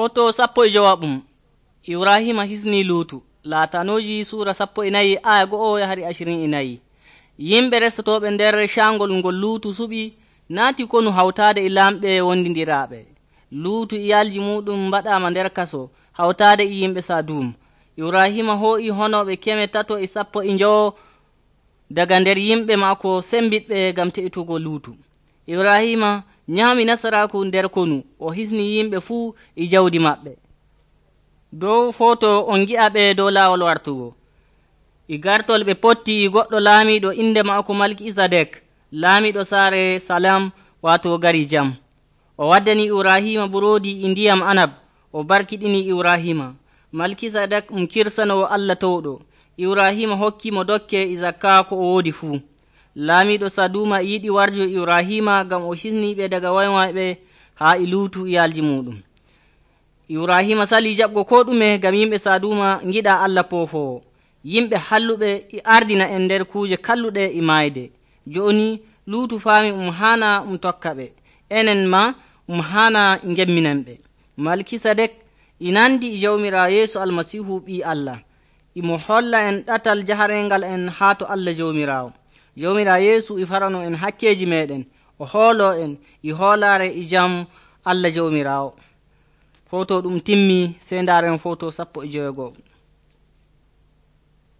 Foto 15 Ibrahima hisni Luutu. Laatanoji sura 14 aya 1 hari 24. Yimɓe resotoɓe nder cangol ngol Luutu suɓi naati konu hawtaade e lamɓe wondindiraaɓe. Luutu iyalji muɗum mbaɗama nder kaso hawtaade e yimɓe Sadum. Ibrahima hoo'i honoɓe 315 daga nder yimɓe maako sembiɗɓe gam te'itugo Luutu. Ibrahima nyaami nasaraku nder konu o hisni yimɓe fuu e jawdi maɓɓe. Dow foto on gi'a ɓe dow laawol wartugo. E gartol ɓe potti e goɗɗo laamiɗo inde maako Malkisadek, laamiɗo saare Salam waato gari jam. O waddani Ibrahima buroodi e ndiyam anab, o barkiɗini Ibrahima. Malkisadek kirsanowo Allah towɗo. Ibrahima hokkimo dokke e zakka ko o woodi fuu. Laamiɗo Saduma yiɗi warjo Ibrahima gam o hisniɓe daga waymayɓe haa e Luutu iyalji muɗum. Ibrahima sali jaɓgo ko ɗume gam yimɓe Saduma giɗa Allah poofowo. Yimɓe halluɓe e ardina en nder kuuje kalluɗe e mayde. Joni Luutu faami haana tokka ɓe, enen ma haana gemminan ɓe. Malkisadek nandi e jawmirawo Yeesu Almasihu ɓi Allah. Imo holla en ɗatal jaharengal en haa to Allah jawmirawo. Jawmirawo Yeesu farano en hakkeji meɗen, o hoolo en e hoolare e jam Allah jawmirawo. Foto ɗum timmi, sey ndaren foto 15.